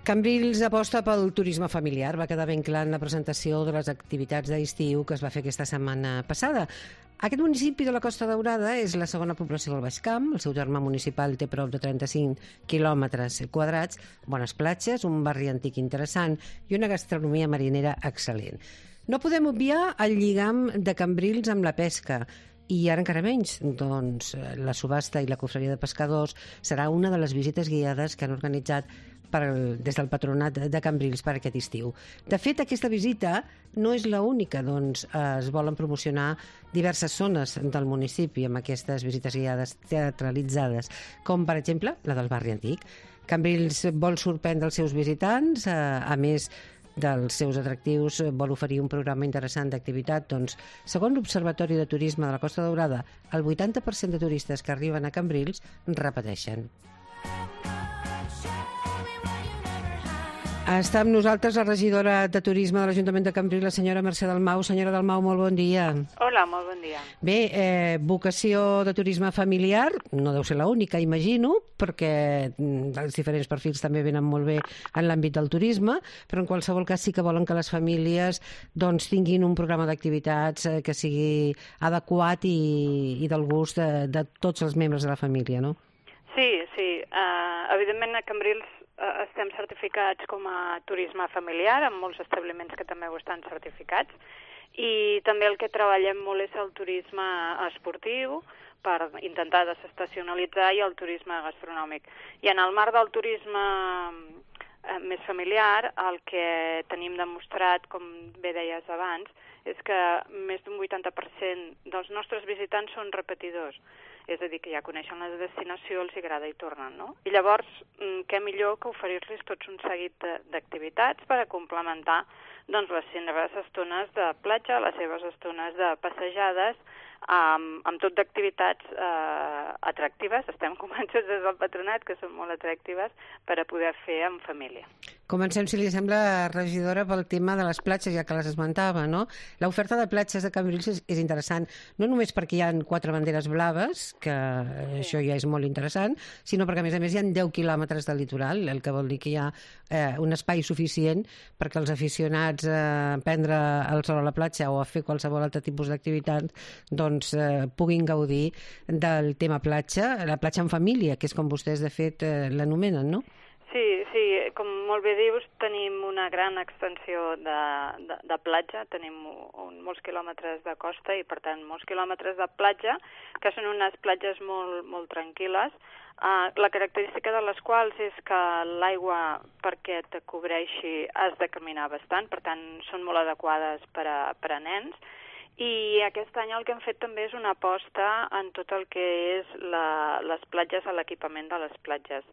Cambrils aposta pel turisme familiar. Va quedar ben clar en la presentació de les activitats d'estiu que es va fer aquesta setmana passada. Aquest municipi de la Costa Daurada és la segona població del Baix Camp. El seu terme municipal té prop de 35 quilòmetres quadrats, bones platges, un barri antic interessant i una gastronomia marinera excel·lent. No podem obviar el lligam de Cambrils amb la pesca. I ara encara menys, doncs la subhasta i la cofreria de pescadors serà una de les visites guiades que han organitzat des del Patronat de Cambrils per aquest estiu. De fet, aquesta visita no és l'única, doncs es volen promocionar diverses zones del municipi amb aquestes visites guiades teatralitzades, com per exemple la del barri antic. Cambrils vol sorprendre els seus visitants, a més dels seus atractius, vol oferir un programa interessant d'activitat. Doncs, segons l'Observatori de Turisme de la Costa Daurada, el 80% de turistes que arriben a Cambrils repeteixen. Està amb nosaltres la regidora de Turisme de l'Ajuntament de Cambrils, la senyora Mercè Dalmau. Senyora Dalmau, molt bon dia. Hola, molt bon dia. Bé, vocació de turisme familiar, no deu ser l'única, imagino, perquè els diferents perfils també venen molt bé en l'àmbit del turisme, però en qualsevol cas sí que volen que les famílies doncs, tinguin un programa d'activitats que sigui adequat i del gust de tots els membres de la família, no? Sí. Evidentment a Cambrils estem certificats com a turisme familiar, amb molts establiments que també ho estan certificats, i també el que treballem molt és el turisme esportiu per intentar desestacionalitzar i el turisme gastronòmic. I en el marc del turisme més familiar, el que tenim demostrat, com bé deies abans, és que més d'un 80% dels nostres visitants són repetidors. És a dir, que ja coneixen la destinació, els agrada i tornen, no? I llavors, què millor que oferir-los tots un seguit d'activitats per a complementar doncs, les seves estones de platja, les seves estones de passejades, amb tot d'activitats atractives. Estem convençuts des del Patronat que són molt atractives per a poder fer en família. Comencem, si li sembla, regidora, pel tema de les platges, ja que les esmentava, no? L'oferta de platges de Cambrils és interessant, no només perquè hi ha 4 banderes blaves, que això ja és molt interessant, sinó perquè, a més, hi ha 10 quilòmetres de litoral, el que vol dir que hi ha un espai suficient perquè els aficionats a prendre el sol a la platja o a fer qualsevol altre tipus d'activitat doncs puguin gaudir del tema platja, la platja en família, que és com vostès, de fet, l'anomenen, no? Sí, com molt bé dius, tenim una gran extensió de platja, tenim molts quilòmetres de costa i, per tant, molts quilòmetres de platja, que són unes platges molt, molt tranquil·les. La característica de les quals és que l'aigua, perquè te cobreixi, has de caminar bastant, per tant, són molt adequades per a nens. I aquest any el que hem fet també és una aposta en tot el que és les platges, l'equipament de les platges.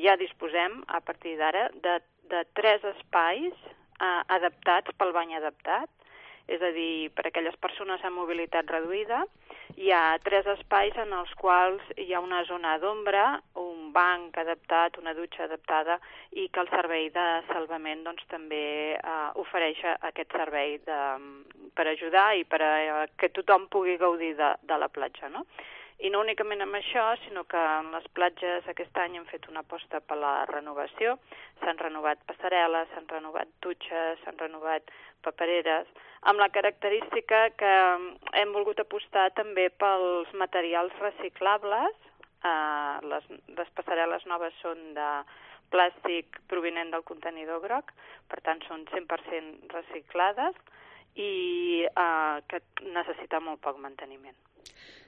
Ja disposem, a partir d'ara, de 3 espais adaptats pel bany adaptat, és a dir, per a aquelles persones amb mobilitat reduïda. Hi ha 3 espais en els quals hi ha una zona d'ombra, un banc adaptat, una dutxa adaptada, i que el servei de salvament doncs, també ofereix aquest servei per ajudar i per a que tothom pugui gaudir de la platja, no? I no únicament amb això, sinó que en les platges aquest any hem fet una aposta per la renovació. S'han renovat passarel·les, s'han renovat dutxes, s'han renovat papereres, amb la característica que hem volgut apostar també pels materials reciclables. Les passarel·les noves són de plàstic provinent del contenidor groc, per tant són 100% reciclades i que necessita molt poc manteniment.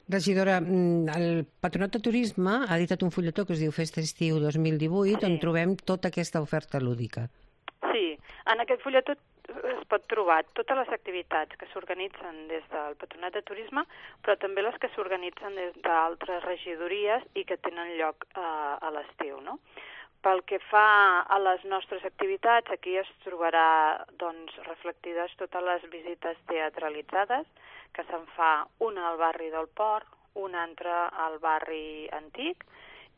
Regidora, el Patronat de Turisme ha editat un fulletó que es diu Festa Estiu 2018, on trobem tota aquesta oferta lúdica. Sí, en aquest fulletó es pot trobar totes les activitats que s'organitzen des del Patronat de Turisme, però també les que s'organitzen des d'altres regidories i que tenen lloc a l'estiu, no? Pel que fa a les nostres activitats, aquí es trobarà doncs, reflectides totes les visites teatralitzades, que se'n fa una al barri del Port, una altra al barri antic,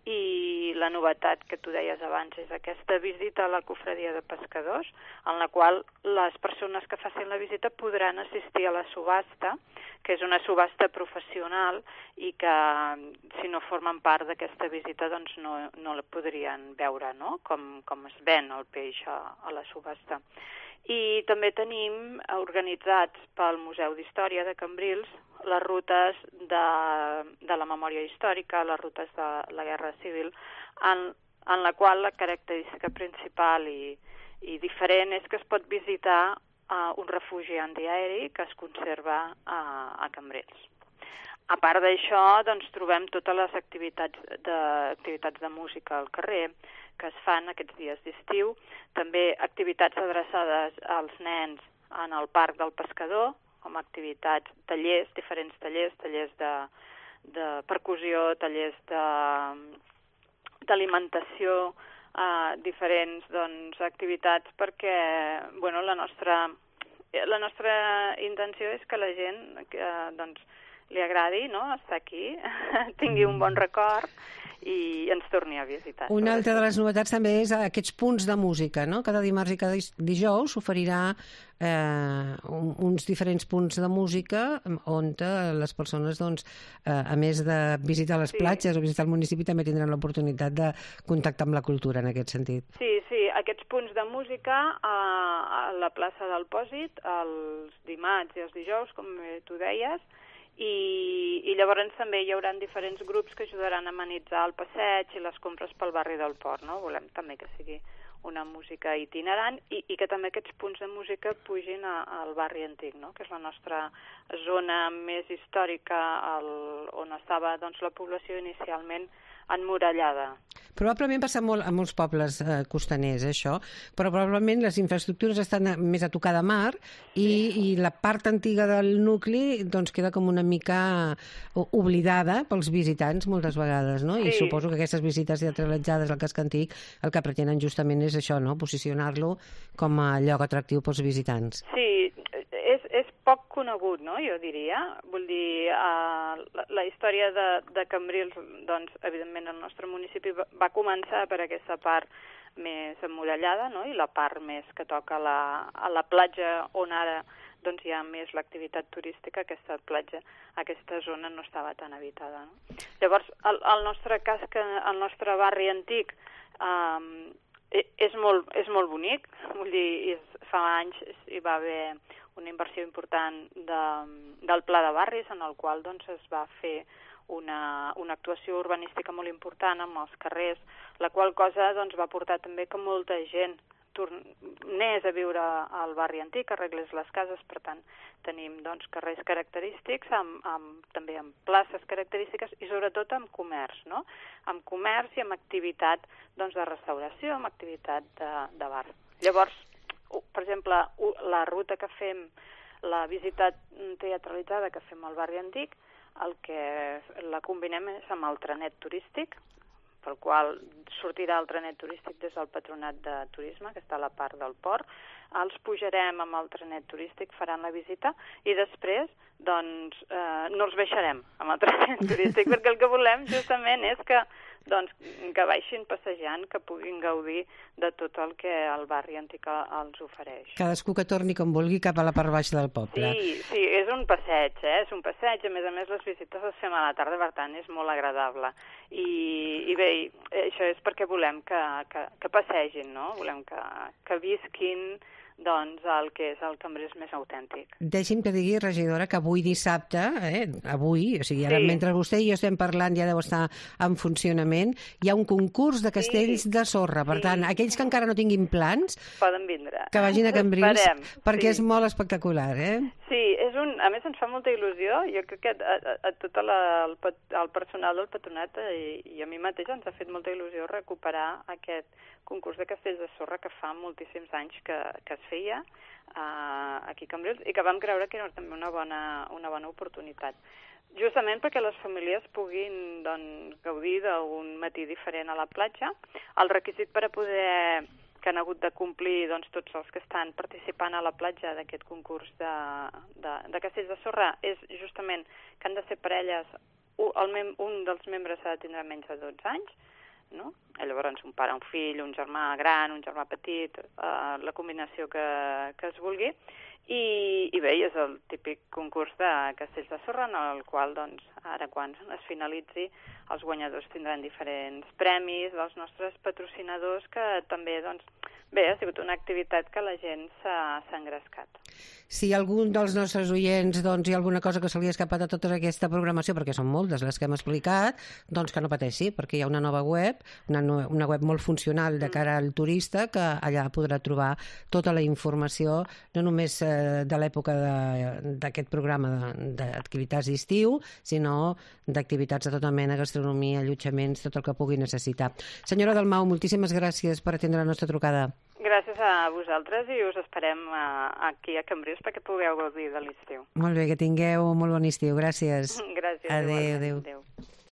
i la novetat que tu deies abans és aquesta visita a la cofradia de pescadors, en la qual les persones que facin la visita podran assistir a la subhasta, que és una subhasta professional i que si no formen part d'aquesta visita doncs no la podrien veure, no? Com es ven el peix a la subhasta. I també tenim organitzats pel Museu d'Història de Cambrils les rutes de la memòria històrica, les rutes de la Guerra Civil, en la qual la característica principal i diferent és que es pot visitar un refugi antiaeri que es conserva a Cambrils. A part d'això, doncs, trobem totes les activitats de música al carrer que es fan aquests dies d'estiu, també activitats adreçades als nens en el Parc del Pescador, com activitats, tallers, diferents tallers de percussió, tallers d'alimentació, diferents activitats perquè la nostra intenció és que la gent li agradi estar aquí, tingui un bon record i ens torni a visitar. Una altra de les novetats també és aquests punts de música, no? Cada dimarts i cada dijous s'oferirà uns diferents punts de música on les persones, a més de visitar les platges o visitar el municipi, també tindran l'oportunitat de contactar amb la cultura en aquest sentit. Sí, aquests punts de música a la plaça del Pòsit, els dimarts i els dijous, com tu deies, i llavors també hi haurà diferents grups que ajudaran a amenitzar el passeig i les compres pel barri del Port, no? Volem també que sigui una música itinerant i que també aquests punts de música pugin al barri antic, no? Que és la nostra zona més històrica on estava la població inicialment emmurallada. Probablement passa molt a molts pobles costaners, això, però probablement les infraestructures estan més a tocar de mar i la part antiga del nucli queda com una mica oblidada pels visitants moltes vegades, no? I suposo que aquestes visites teatralitzades al casc antic el que pretenen justament és això, no? Posicionar-lo com a lloc atractiu pels visitants. Sí, és poc conegut, no? Jo diria. Vull dir, la història de Cambrils, evidentment el nostre municipi va començar per aquesta part més emmurallada, no? I la part més que toca a la platja on ara hi ha més l'activitat turística, aquesta platja, aquesta zona no estava tan habitada, no? Llavors, el nostre barri antic és molt bonic, vull dir, fa anys hi va haver una inversió important del Pla de Barris, en el qual es va fer una actuació urbanística molt important amb els carrers, la qual cosa va portar també que molta gent tornés a viure al barri antic, arreglés les cases, per tant tenim carrers característics, també amb places característiques i sobretot amb comerç, no? Amb comerç i amb activitat de restauració, amb activitat de bar. Llavors, per exemple, la ruta que fem, la visita teatralitzada que fem al barri antic, el que la combinem és amb el trenet turístic, pel qual sortirà el trenet turístic des del Patronat de Turisme, que està a la part del port. Els pujarem amb el trenet turístic, faran la visita, i després no els baixarem amb el trenet turístic, perquè el que volem justament és que baixin passejant, que puguin gaudir de tot el que el barri antic els ofereix. Cadascú que torni com vulgui cap a la part baixa del poble. Sí, és un passeig, és un passeig. A més les visites les fem a la tarda, per tant és molt agradable. I bé, això és perquè volem que passegin, no? Volem que visquin el que és el Cambrils més autèntic. Deixi'm que digui, regidora, que avui dissabte, avui, o sigui, ara mentre vostè i jo estem parlant ja deu estar en funcionament, hi ha un concurs de castells de sorra. Per tant, aquells que encara no tinguin plans, poden vindre. Que vagin a Cambrils, perquè és molt espectacular, Sí, a més ens fa molta il·lusió. Jo crec que a tot el personal del Patronat i a mi mateix ens ha fet molta il·lusió recuperar aquest concurs de castells de sorra que fa moltíssims anys que es feia aquí a Cambrils i que vam creure que era també una bona oportunitat. Justament perquè les famílies puguin gaudir d'un matí diferent a la platja. El requisit per a poder que han hagut de complir tots els que estan participant a la platja d'aquest concurs de castells de sorra és justament que han de ser parelles, un dels membres ha de tindre menys de 12 anys, no? Llavors un pare, un fill, un germà gran, un germà petit, la combinació que es vulgui. I bé, és el típic concurs de castells de sorra, en el qual, doncs, ara quan es finalitzi, els guanyadors tindran diferents premis dels nostres patrocinadors, que també, doncs, bé, ha sigut una activitat que la gent s'ha engrescat. Si algun dels nostres oients hi ha alguna cosa que se li ha escapat a tota aquesta programació, perquè són moltes les que hem explicat, doncs que no pateixi, perquè hi ha una nova web, una web molt funcional de cara al turista, que allà podrà trobar tota la informació, no només de l'època d'aquest programa d'activitats d'estiu, sinó d'activitats de tota mena, gastronomia, allotjaments, tot el que pugui necessitar. Senyora Dalmau, moltíssimes gràcies per atendre la nostra trucada. Gràcies a vosaltres i us esperem aquí a Cambrils perquè pugueu gaudir de l'estiu. Molt bé, que tingueu molt bon estiu. Gràcies. Gràcies. Adéu. Adéu.